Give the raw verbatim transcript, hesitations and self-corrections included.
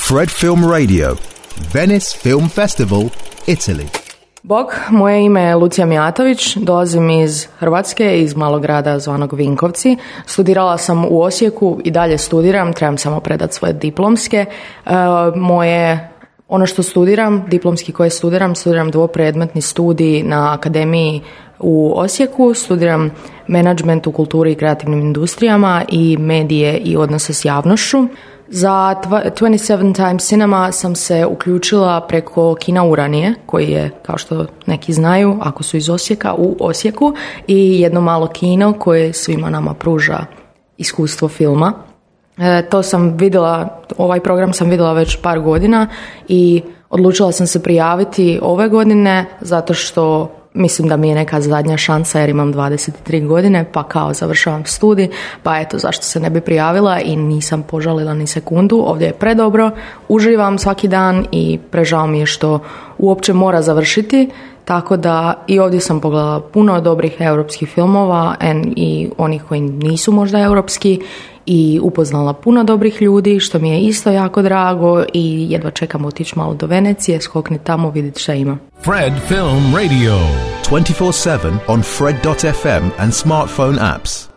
Fred Film Radio, Venice Film Festival, Italy. Bog, moje ime je Lucija Mijatović, dolazim iz Hrvatske, iz malog grada zvanog Vinkovci. Studirala sam u Osijeku i dalje studiram, trebam samo predati svoje diplomske. E, moje, ono što studiram, diplomski koje studiram, studiram dvopredmetni studij na akademiji u Osijeku, studiram menadžment u kulturi i kreativnim industrijama i medije i odnose s javnošću. Za dvadeset sedam Times Cinema sam se uključila preko kina Uranije, koji je, kao što neki znaju, ako su iz Osijeka, u Osijeku, i jedno malo kino koje svima nama pruža iskustvo filma. E, to sam vidjela, ovaj program sam vidjela već par godina i odlučila sam se prijaviti ove godine zato što mislim da mi je neka zadnja šansa jer imam dvadeset tri godine, pa kao završavam studij, pa eto zašto se ne bi prijavila i nisam požalila ni sekundu. Ovdje je predobro, uživam svaki dan i prežao mi je što uopće mora završiti, tako da i ovdje sam pogledala puno dobrih europskih filmova i onih koji nisu možda europski i upoznala puno dobrih ljudi, što mi je isto jako drago i jedva čekam otići malo do Venecije, skokni tamo, vidjeti šta ima. Fred Film Radio, twenty-four seven on fred dot f m and smartphone apps.